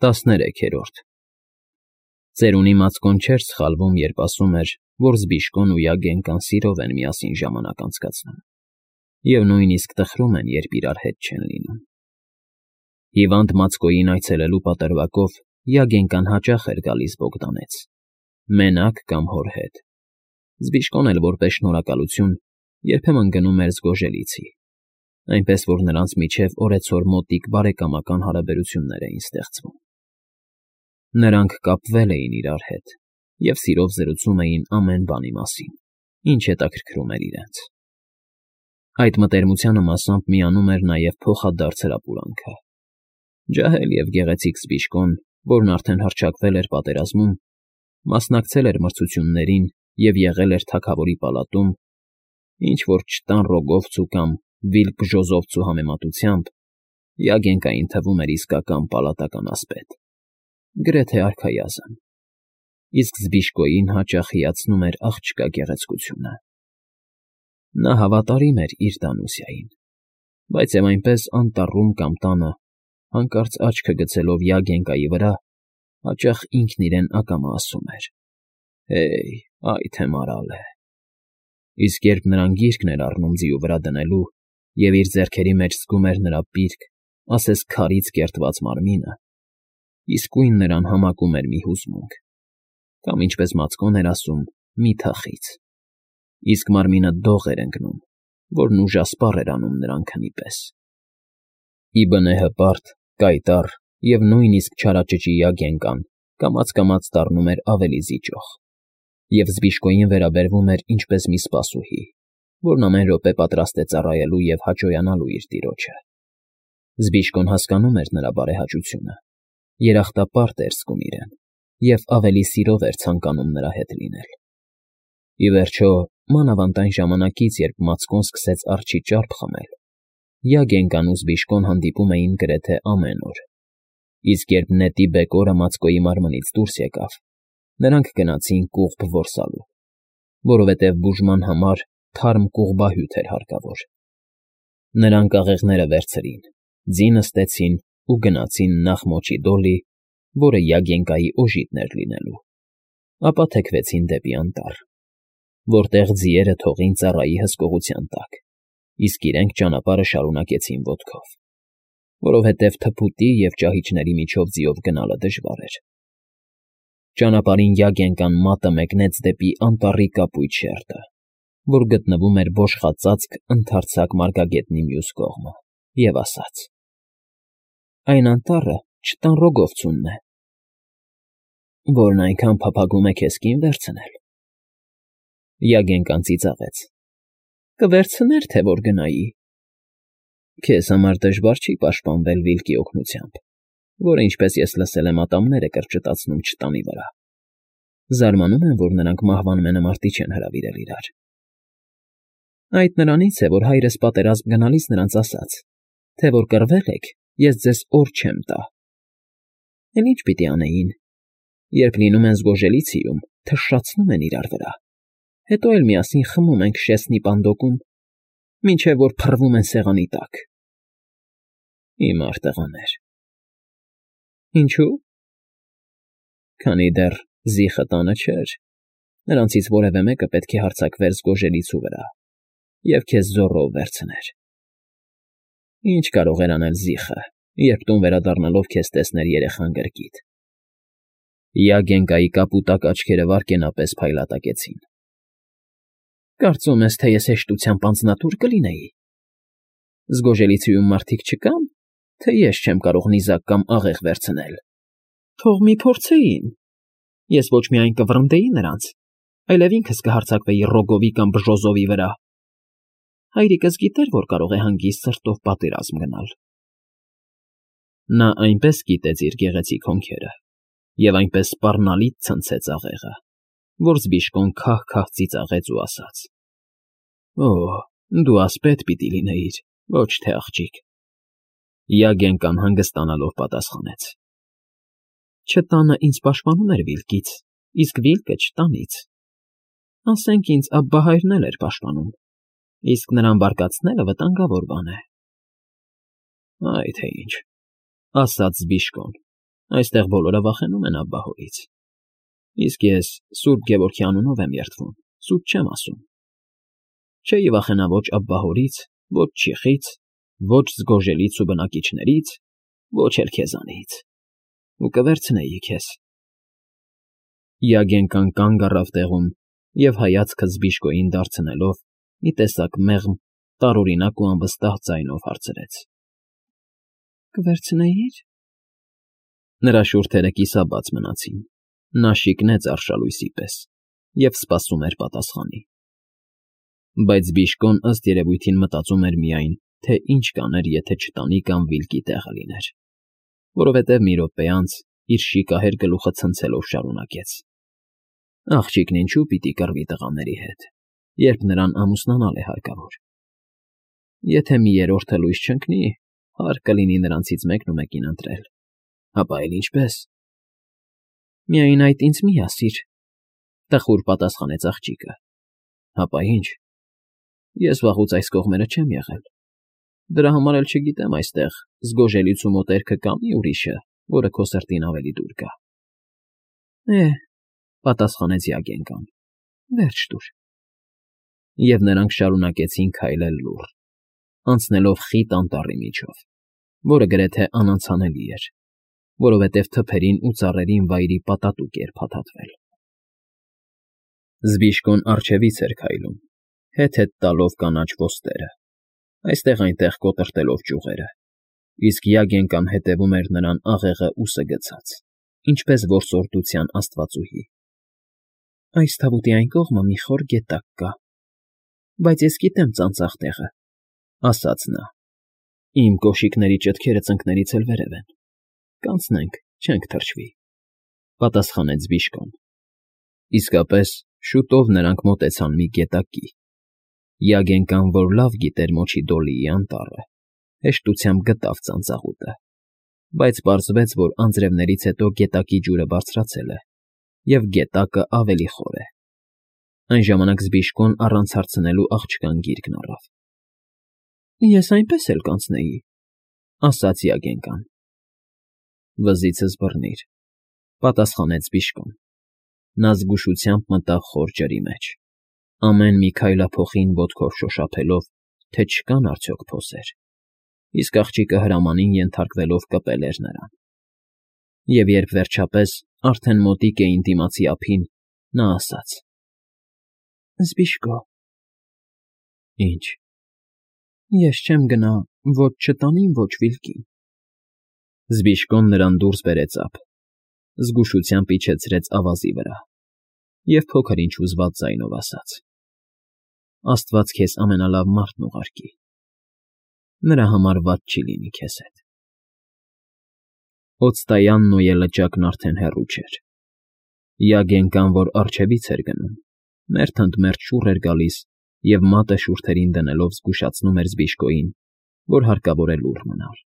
13-րդ Ծերունի Մացկոն չէր սխալվում, երբ ասում էր, որ Զբիշկոն ու Յագենկան սիրով են միասին ժամանակ անցկացնում, և նույնիսկ տխրում են, երբ իրար հետ չեն լինում։ Հիվանդ Մացկոյին այցելելու պատրվակով Յագենկան հաճախ էր գալիս Բոգդանեց, մենակ կամ հոր հետ։ Զբիշկոն էլ որպես շնորհակալություն երբեմն գնում էր Զգոժելիցի, այնպես որ նրանց միջև օրեցօր մոտիկ բարեկամական հարաբերություններ էին ստեղծվում։ Նրանք կապվել էին իրար հետ և սիրով զրուցում էին ամեն բանի մասին, ինչ հետաքրքրում էր իրենց։ Այդ մտերմությանը մասամբ միանում էր նաև փոխադարձ հրապուրանքը։ Ջահել և գեղեցիկ Զբիշկոն, որն արդեն հռչակվել էր պատերազմում, մասնակցել էր մրցություններին և եղել էր թագավորի պալատում, ինչ֊որ չտան Ռոգովցու կամ Վիլփժոզովցու համեմատությամբ Յագենկային թվում էր իսկական պալատական ասպետ, գրեթե արքայազն, իսկ Զբիշկոյին հաճախ հիացնում էր աղջկա գեղեցկությունը։ Նա հավատարիմ էր իր Դանուսիային, բայց և այնպես անտառում կամ տանը, հանկարծ աչքը գցելով Յագենկայի վրա, հաճախ ինքն իրեն ակամա ասում էր. «Հեյ, այ թե մարալ է»։ Իսկ երբ նրան գիրկն էր առնում ձիու վրա դնելու և իր ձեռքերի մեջ զգում էր նրա պիրկ, ասես քարից կերտված մարմինը, իսկույն նրան համակում էր մի հուզմունք, կամ, ինչպես Մացկոն էր ասում, մի թախիծ, իսկ մարմինը դող էր ընկնում, որն ուժասպառ էր անում նրան քնի պես։ Ի բնե հպարտ, կայտառ և նույնիսկ չարաճճի Յագենկան կամաց֊կամաց դառնում էր ավելի զիջող, և Զբիշկոյին վերաբերվում էր ինչպես մի սպասուհի, որն ամեն րոպե պատրաստ է ծառայելու և հաճոյանալու իր տիրոջը։ Զբիշկոն հասկանում էր նրա բարեհաճությունը, երախտապարտ էր զգում իրեն և ավելի սիրով էր ցանկանում նրա հետ լինել։ Ի վերջո, մանավանդ այն ժամանակից, երբ Մացկոն սկսեց արջի ճարպ խմել, Յագենկան ու Զբիշկոն հանդիպում էին գրեթե ամեն օր, իսկ երբ նետի բեկորը Մացկոյի մարմնից դուրս եկավ, նրանք գնացին կուղբ որսալու, որովհետև բուժման համար թարմ կուղբահյութ էր հարկավոր։ Նրանք աղեղները վերցրին, ձի նստեցին ու գնացին նախ Մոչիդոլի, որը Յագենկայի օժիտն էր լինելու, ապա թեքվեցին դեպի անտառ, որտեղ ձիերը թողին ծառայի հսկողության տակ, իսկ իրենք ճանապարհը շարունակեցին ոտքով, որովհետև թփուտի և ճահիճների միջով ձիով գնալը դժվար էր։ Ճանապարհին Յագենկան մատը մեկնեց դեպի անտառի կապույտ շերտը, որ գտնվում էր բոշխածածկ ընդարձակ մարգագետնի մյուս կողմը, և ասաց. «Այն անտառը չտան Ռոգովցունն է»։ «Որն այնքան փափագում է քեզ կին վերցնել»։ Յագենկան ծիծաղեց. «Կվերցներ, թե որ գնայի»։ «Քեզ համար դժվար չի պաշտպանվել Վիլկի օգնությամբ, որը, ինչպես ես լսել եմ, ատամներ է կրճտացնում չտանի վրա։ Զարմանում եմ, որ նրանք մահվան մենամարտի չեն հրավիրել իրար»։ «Այդ նրանից է, որ հայրս պատերազմ գնալիս նրանց ասաց, թե որ կռվել եք, ես ձեզ օր չեմ տա»։ «Էլ ի՞նչ պիտի անեին, երբ լինում են Զգոժելիցիում, թշրացնում են իրար վրա, հետո էլ միասին խմում են Քշեսնի պանդոկում, մինչև որ փռվում են սեղանի տակ»։ «Հիմար տղաներ»։ «Ինչո՞ւ»։ «Քանի դեռ Զիխը տանը չէր, նրանցից որևէ մեկը պետք է հարձակվեր Զգոժելիցու վրա և քեզ զոռով վերցներ»։ «Ինչ կարող էր անել Զիխը, երբ տուն վերադառնալով քեզ տեսներ երեխան գրկիտ»։ Յագենկայի կապուտակ աչքերը վարգենապես փայլատակեցին։ «Կարծում ես, թե ես հեշտությամբ անձնատուր կլինեի։ Զգոժելիցիում մարդիկ չկա՞ն, թե ես չեմ կարող նիզակ կամ աղեղ վերցնել։ Թող մի փորձեին։ Ես ոչ միայն կվռնդեի նրանց, այլև ինքս կհարձակվեի Ռոգովի կամ Բժոզովի վրա։ Հայրիկս գիտեր, որ կարող է հանգիստ սրտով պատերազմ գնալ»։ Նա այնպես կիտեց իր գեղեցիկ հոնքերը և այնպես սպառնալից ցնցեց աղեղը, որ Զբիշկոն քահ֊քահ ծիծաղեց ու ասաց. «Օ, դու ասպետ պիտի լինեիր, ոչ թե աղջիկ»։ Յագենկան հանգստանալով պատասխանեց. «Չտանը ինձ պաշտպանում էր Վիլկից, իսկ Վիլկը չտանից։ Ասենք ինձ Աբբահայրն էլ էր պաշտպանում, իսկ նրան բարկացնելը վտանգավոր բան է»։ «Այ թե ինչ», ասաց Զբիշկոն, Այստեղ բոլորը վախենում են աբբահորից։ Իսկ ես Սուրբ Գևորգի անունով եմ երդվում, սուտ չեմ ասում։ Չէի վախենա ոչ աբբահորից, ոչ չիխից, ոչ զգոժելից ու բնակիչներից, ոչ էլ քեզանից։ Ու կվերցնեի քեզ։ Յագենկան կանգ առավ տեղում և հայացքը Զբիշկոյին դարձնելով մի տեսակ մեղմ, տարօրինակ ու անվստահ ձայնով հարցրեց. Կվերցնեի՞ր։ Նրա շուրթերը կիսաբաց մնացին, նա շիկնեց արշալույսի պես և սպասում էր պատասխանի։ Բայց Զբիշկոն ըստ երևույթին մտածում էր միայն, թե ինչ կաներ, եթե չտանի կամ վիլկի տեղը լիներ, որովհետև մի րոպե անց իր շիկահեր գլուխը ցնցելով շարունակեց. Աղջիկն ինչու պիտի կռվի տղաների հետ, երբ նրան ամուսնանալ է հարկավոր։ Եթե մի երրորդը լույս չընկնի, հարկ կլինի նրանցից մեկնումեկին ընտրել, ապա էլ ինչպես։ Միայն այդ ինձ մի ասիր, տխուր պատասխանեց աղջիկը։ Հապա ինչ։ Ես վաղուց այս կողմերը չեմ եղել։ Դրա համար էլ չգիտեմ այստեղ զգոժելից ու մոտերքը կամի ուրիշը, որը քո սրտին ավելի դուր գա։ Պատասխանեց Յագենկան, վերջ տուր։ Եվ նրանք շարունակեցին քայլել լուռ, անցնելով խիտ անտառի միջով, որը գրեթե անանցանելի էր, որովհետև թփերին ու ծառերին վայրի պատատուկ էր փաթաթվել։ Զբիշկոն առջևից էր քայլում, հետ-հետ տալով կանաչ ոստերը, այստեղ-այնտեղ կոտրտելով ճյուղերը, իսկ Յագենկան հետևում էր նրան աղեղը ուսը գցած, ինչպես որսորդության աստվածուհի։ Այս թավուտի այն կողմը մի խոր գետակ կա, բայց ես գիտեմ ծանծաղ տեղը, ասաց նա։ Իմ կոշիկների ճտքերը ծնկներից էլ վերև են։ Կանցնենք, չենք թրջվի, պատասխանեց Զբիշկոն։ Իսկապես, շուտով նրանք մոտեցան մի գետակի։ Յագենկան, որ լավ գիտեր Մոչի Դոլիի անտառը, հեշտությամբ գտավ ծանծաղուտը, բայց պարզվեց, որ անձրևներից հետո գետակի ջուրը բարձրացել է, և գետակը ավելի խոր է։ Այն ժամանակ Զբիշկոն առանց հարցնելու աղջկան գիրկն առավ։ Ես այնպես էլ կանցնեի, ասաց Յագենկան։ Վզիցս բռնիր, պատասխանեց Զբիշկոն։ Նա զգուշությամբ մտավ խոր ջրի մեջ, ամեն մի քայլափոխին ոտքով շոշափելով, թե չկան արդյոք փոսեր, իսկ աղջիկը հրամանին ենթարկվելով կպել էր նրան։ Եվ երբ վերջապես արդեն մոտիկ էին դիմացի ափին, նա ասաց. Զբիշկո։ Ինչ։ Ես չեմ գնա ոչ չտանին, ոչ վիլկին։ Զբիշկոն նրան դուրս բերեց ափ, զգուշությամբ իջեցրեց ավազի վրա և փոքր-ինչ հուզված ձայնով ասաց. Աստված քեզ ամենալավ մարդն ուղարկի։ Նրա համար վատ չի լինի քեզ հետ։ Օծտայանն ու ելլճակն արդեն հեռու չէր։ Յագենկան, որ առջևից էր գնում, մերթ ընդ մերթ շուռ էր գալիս և մատը շուրթերին դնելով զգուշացնում էր Զբիշկոյին, որ հարկավոր է լուռ մնալ։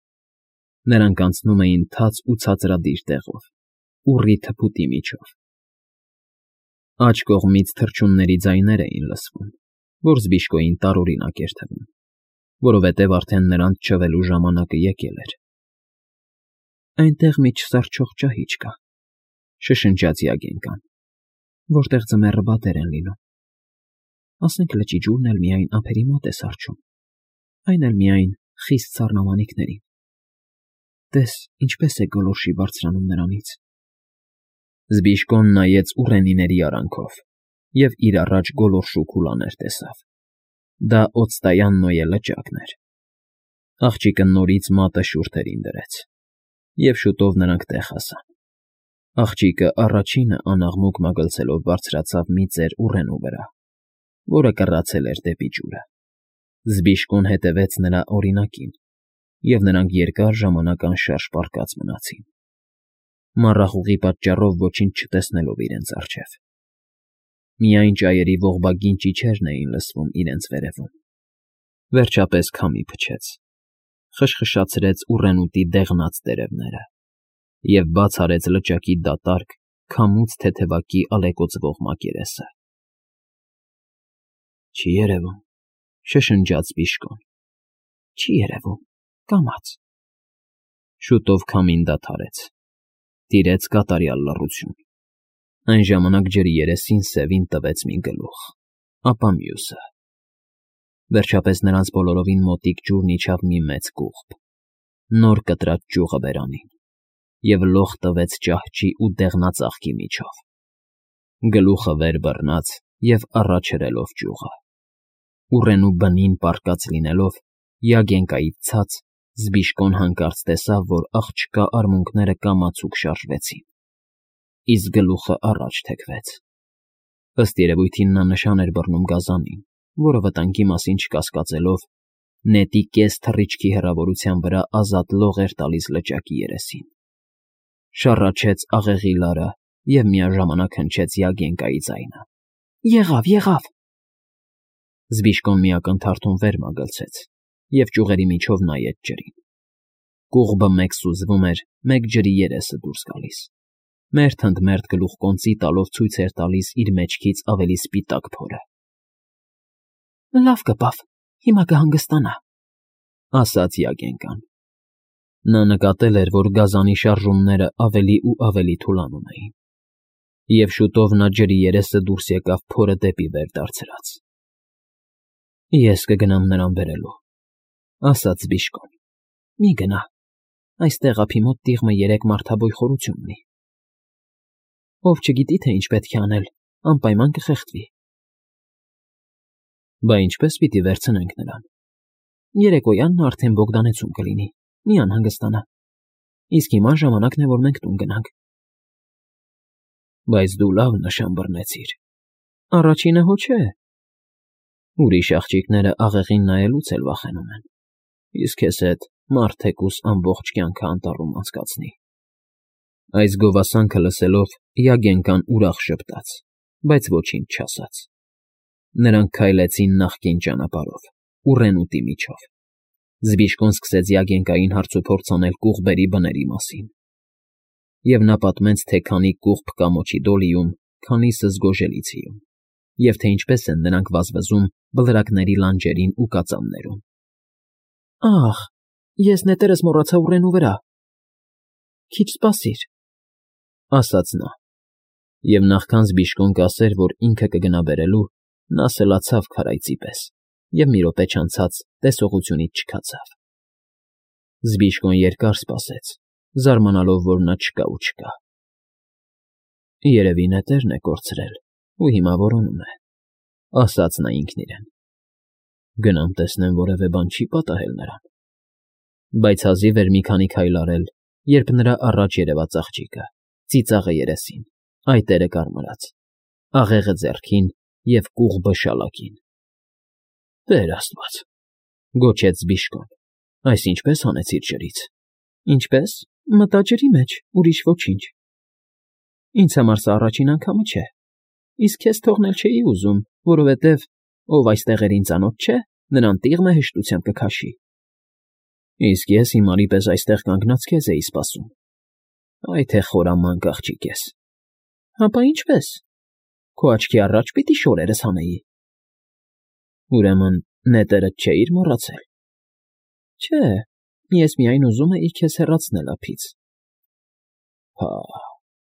Նրանք անցնում էին թաց ու ցածրադիր տեղով, ուռի թփուտի միջով։ Աջ կողմից թռչունների ձայներ էին լսվում, որ Զբիշկոյին տարօրինակ էր թվում, որովհետև արդեն նրանց չվելու ժամանակը եկել էր։ Այնտեղ մի չսառչող ճահիճ կա, շշնջաց Յագենկան, որտեղ ձմեռը բատեր են լինում։ Ասենք լճի ջուրն էլ միայն ափերի մոտ է սառչում, այն էլ միայն խիստ սառնամանիքներին։ Տես, ինչպես է գոլորշի բարձրանում նրանից։ Զբիշկոն նայեց ուռենիների արանքով և իր առաջ գոլորշու քուլաներ տեսավ։ Դա օծտայանն ու ելլճակն էր։ Աղջիկը նորից մատը շուրթերին դրեց, և շուտով նրանք տեղ հասան։ Աղջիկը առաջինը անաղմուկ մագլցելով բարձրացավ մի ծեր ուռենու վրա, որը կռացել էր դեպի ջուրը։ Զբիշկոն հետևեց նրա օրինակին, և նրանք երկար ժամանակ անշարժ պառկած մնացին, մառախուղի պատճառով ոչինչ չտեսնելով իրենց առջև։ Միայն ճայերի ողբագին ճիչերն էին լսվում իրենց վերևում։ Վերջապես քամի փչեց, խշխշացրեց ուռենուտի դեղնած տերևները և բաց արեց լճակի դատարկ, քամուց թեթևակի ալեկոծվող մակերեսը։ Չի երևում, շշնջաց Զբիշկոն։ Չի երևում, կամաց։ Շուտով քամին դադարեց, Տիրեց կատարյալ լռություն։ Այն ժամանակ ջրի երեսին Սևին տվեց մի գլուխ, ապա մյուսը։ Վերջապես նրանց բոլորովին մոտիկ ջուրն իջավ մի մեծ կուղբ, նոր կտրած ճյուղը բերանին, և լող տվեց ճահճի ու դեղնածաղկի միջով։ Գլուխը վեր բռնած և առաջ հրելով ճյուղը։ Ուռենու բնին պառկած լինելով, Յագենկայից ցած, Զբիշկոն հանկարծ տեսավ, որ աղջկա արմունկները կամացուկ շարժվեցին, իսկ գլուխը առաջ թեքվեց։ Ըստ երևույթին նա նշան էր բռնում գազանին, որը վտանգի մասին չկասկածելով, նետի կես թռիչքի հեռավորության վրա ազատ լող էր տալիս լճակի երեսին։ Շառաչեց աղեղի լարը և միաժամանակ հնչեց Յագենկայի ձայնը. Եղավ։ Զբիշկոն մի ակնթարթում վեր մագլցեց և ճյուղերի միջով նայեց ջրին։ Կուղբը մեկ սուզվում էր, մեկ ջրի երեսը դուրս գալիս։ Մերթ ընդ մերթ գլուխկոնծի տալով ցույց էր տալիս իր մեջքից ավելի սպիտակ փորը։ Լավ կպավ, հիմա կհանգստանա, ասաց Յագենկան։ Նա նկատել էր, որ գազանի շարժումները ավելի ու ավելի թուլանում էին, և շուտով նա ջրի երեսը դուրս եկավ փորը դեպի վեր դարձրած։ Ես կգնամ նրան բերելու, ասաց Զբիշկոն։ Մի գնա, այստեղ ափի մոտ տիղմը 3 մարդաբոյ խորություն ունի։ Ով չգիտի, թե ինչ պետք է անել, անպայման կխեղդվի։ Բա ինչպես պիտի վերցնենք նրան։ Երեկոյան նա արդեն Բոգդանեցում կլինի, մի անհանգստանա։ Իսկ հիմա ժամանակն է, որ մենք տուն գնանք։ Բայց դու լավ նշան բռնեցիր։ Առաջինը հո չէ։ Ուրիշ աղջիկները աղեղին նայելուց էլ վախենում են, իսկ քեզ հետ մարդ թեկուս ամբողջ կյանքը անտառում անցկացնի։ Այս գովասանքը լսելով Յագենկան ուրախ ժպտաց, բայց ոչինչ չասաց։ Նրանք քայլեցին նախկին ճանապարհով, ուռենուտի միջով։ Զբիշկոն սկսեց Յագենկային հարցուփորձ անել կուղբերի բների մասին, և նա պատմեց, թե քանի կուղբ կա Մոչիդոլիում, քանիսը Զգոժելիցիում, և թե ինչպես են նրանք վազվզում բլրակների լանջերին ու կածաններում։ Ահ, ես նետերս մոռացա ուռենու վրա։ Քիչ սպասիր, ասաց նա, և նախքան Զբիշկոն կասեր, որ ինքը կգնա բերելու, նա սլացավ քարայծի պես և մի րոպե չանցած տեսողությունից չքացավ։ Զբիշկոն երկար սպասեց, զարմանալով, որ նա չկա ու չկա։ Երևի նետերն է կորցրել ու հիմա որոնում է, ասաց նա ինքն իրեն։ Գնամ տեսնեմ, որևէ բան չի պատահել նրան։ Բայց հազիվ էր մի քանի քայլ արել, երբ նրա առաջ երևաց աղջիկը, ծիծաղը երեսին, այտերը կարմրած, աղեղը ձեռքին և կուղբը շալակին։ Տեր Աստված, գոչեց Զբիշկոն, այս ինչպես հանեցիր ջրից։ Ինչպես, մտա ջրի մեջ, ուրիշ ոչինչ։ Ինձ համար սա առաջին անգամը չէ, իսկ քեզ թողնել չէի ուզում, որովհետև ով այս տեղերին ծանոթ չէ, նրան տիղմը հեշտությամբ կքաշի։ Իսկ ես հիմարի պես այստեղ կանգնած քեզ էի սպասում։ Այ թե խորամանկ աղջիկ ես։ Հապա ինչպես։ Քո աչքի առաջ պիտի շորերս հանեի։ Ուրեմն նետերդ չէիր մոռացել։ Չէ, ես միայն ուզում էի քեզ հեռացնել ափից։ Հա,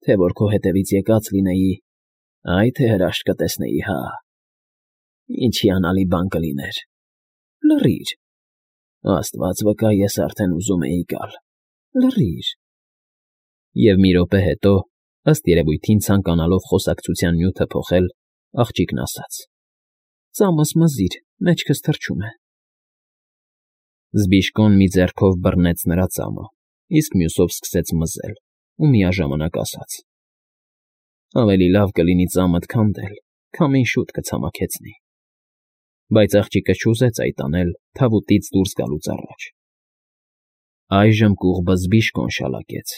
թե որ քո հետևից եկած լինեի, այ թե հրաշք կտեսնեի, հա։ Ինչ հիանալի բան կլիներ։ Լռիր։ Աստված վկա, ես արդեն ուզում էի գալ։ Լռիր։ Եվ մի րոպե հետո, ըստ երևույթին ցանկանալով խոսակցության նյութը փոխել, աղջիկն ասաց. Ծամս մզիր, մեջքս թրջում է։ Զբիշկոն մի ձեռքով բռնեց նրա ծամը, իսկ մյուսով սկսեց մզել ու միաժամանակ ասաց. Ավելի լավ կլինի ծամդ քանդել, քամին շուտ կցամաքեցնի։ Բայց աղջիկը չուզեց այդ անել թավուտից դուրս գալուց առաջ։ Այժմ կուղբը Զբիշկոն շալակեց,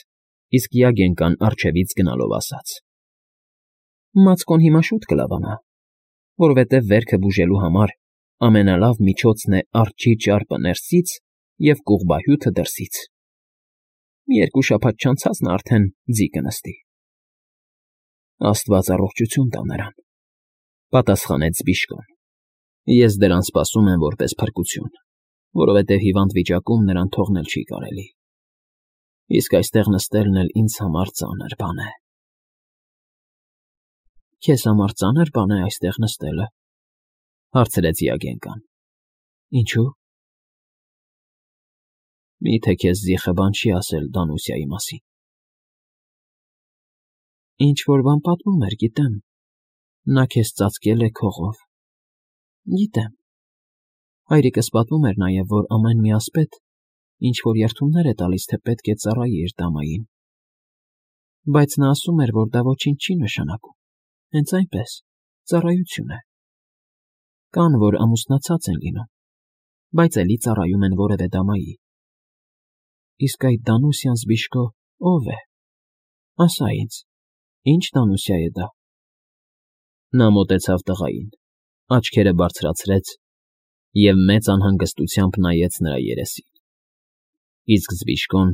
իսկ Յագենկան առջևից գնալով ասաց. Մածկոն հիմա շուտ կլավանա, որովհետև վերքը բուժելու համար ամենալավ միջոցն է արջի ճարպը ներսից և կուղբահյութը դրսից։ Մի 2 շաբաթ չանցած նա արդեն ձի կնստի։ Աստված առողջություն տա նրան, պատասխանեց Զբիշկոն։ Ես դրան սպասում եմ որպես փրկություն, որովհետև հիվանդ վիճակում նրան թողնել չի կարելի։ Իսկ այստեղ նստելն էլ ինձ համար ծանր բան է։ Քեզ համար ծանր բան է այստեղ նստելը, հարցրեց Յագենկան։ Ինչու՞։ Մի՞թե քեզ զիխը բան չի ասել Դանուսիայի մասին։ Ինչ-որ բան պատմում էր, գիտեմ։ Նա քեզ ծածկել է քողով։ Գիտեմ։ Հայրիկս պատմում էր նաև, որ ամեն մի ասպետ ինչ-որ երդումներ է տալիս, թե պետք է ծառայի իր դամային։ Բայց նա ասում էր, որ դա ոչինչ չի նշանակում, հենց այնպես, ծառայություն է։ Կան, որ ամուսնացած են լինում, բայց էլի ծառայում են որևէ դամայի։ Իսկ այդ Դանուսիան Զբիշկո ո՞վ է։ Ասա ինձ, ի՞նչ Դանուսիա է դա։ Նա մոտեցավ տղային, աչքերը բարձրացրեց և մեծ անհանգստությամբ նայեց նրա երեսին։ Իսկ Զբիշկոն,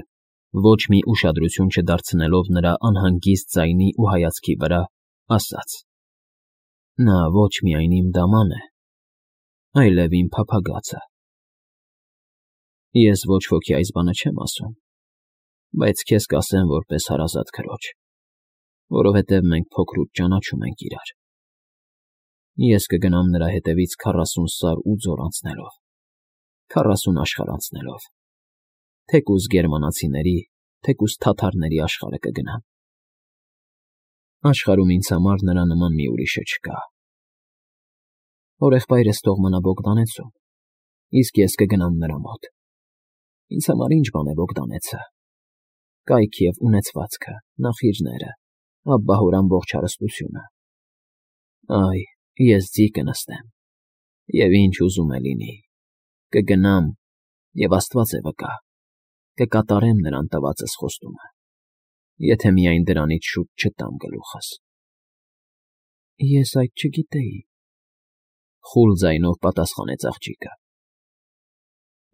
ոչ մի ուշադրություն չդարձնելով նրա անհանգիստ ձայնի ու հայացքի վրա, ասաց. Նա ոչ միայն իմ դաման է, այլև իմ փափագացը։ Ես ոչ ոքի այս բանը չեմ ասում, բայց քեզ կասեմ որպես հարազատ քրոջ, որովհետև մենք փոքրուց ճանաչում ենք իրար։ Ես կգնամ նրա հետևից 40 սար ու ձոր անցնելով, 40 աշխարհ անցնելով, թեկուզ գերմանացիների, թեկուզ թաթարների աշխարհը կգնամ։ Աշխարհում ինձ համար նրա նման մի ուրիշը չկա։ Հորեղբայրս թող մնա Բոգդանեցում, իսկ ես կգնամ նրա մոտ։ Ինձ համար ինչ բան է Բոգդանեցը։ Կայք և ունեցվածքը, նախիջները, Աբբահոր ամբողջ հարստությունը։ Այ, ես ձի կնստեմ, և ինչ ուզում է լինի, կգնամ, և Աստված է վկա, կկատարեմ նրան տվածս խոստումը, եթե միայն դրանից շուտ չտամ գլուխս։ Ես այդ չգիտեի, խուլ ձայնով պատասխանեց աղջիկը։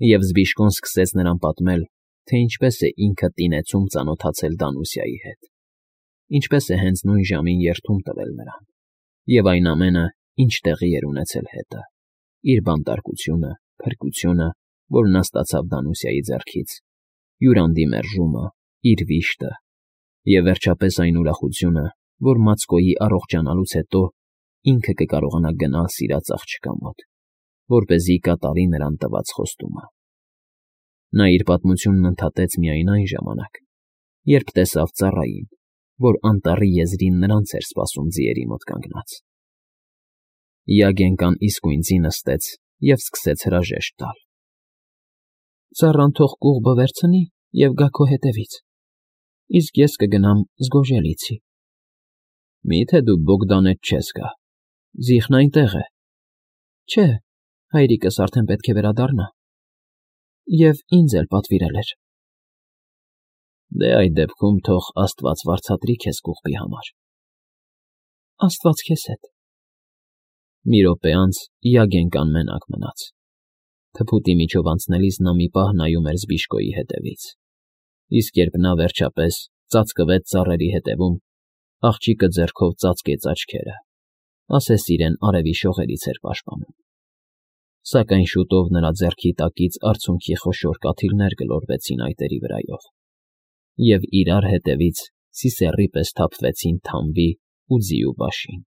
Եվ Զբիշկոն սկսեց նրան պատմել, թե ինչպես է ինքը Տինեցում ծանոթացել Դանուսիայի հետ, ինչպես է հենց նույն ժամին երդում տվել նրան, և այն ամենը, ինչ տեղի էր ունեցել հետը, իր բանտարկությունը, փրկությունը, որ նա ստացավ Դանուսիայի ձեռքից, յուրանդի մերժումը, իր վիշտը, և վերջապես այն ուրախությունը, որ Մացկոյի առողջանալուց հետո ինքը կկարողանա գնալ սիրած աղջկա մոտ, որպեսզի կատարի նրան տված խոստումը։ Նա իր պատմությունն ընդհատեց միայն այն ժամանակ, երբ տեսավ ծառային, որ անտառի եզրին նրանց էր սպասում ձիերի մոտ կանգնած։ Յագենկան իսկույն ձի նստեց և սկսեց հրաժեշտ տալ։ Ծառան թող կուղբը վերցնի և գա քո հետևից, իսկ ես կգնամ Զգոժելիցի։ Մի՞թե դու Բոգդանետ չես գա, զիխն այնտեղ է։ Չէ, հայրիկս արդեն պետք է վերադառնա։ Եվ ինձ էլ պատվիրել էր։ Դե այդ դեպքում թող Աստված վարձատրի քեզ կուղբի համար։ Աստված քեզ հետ։ Մի րոպե անց Յագենկան մենակ մնաց։ Թփուտի միջով անցնելիս նա մի պահ նայում էր Զբիշկոյի հետևից, իսկ երբ նա վերջապես ծածկվեց ծառերի հետևում, աղջիկը ձեռքով ծածկեց աչքերը, ասես իրեն արևի շողերից էր պաշտպանում։ Սակայն շուտով նրա ձեռքի տակից արցունքի խոշոր կաթիլներ գլորվեցին այտերի վրայով, և իրար հետևից սիսեռի պես թափվեցին թամբի ու ձիու բաշին։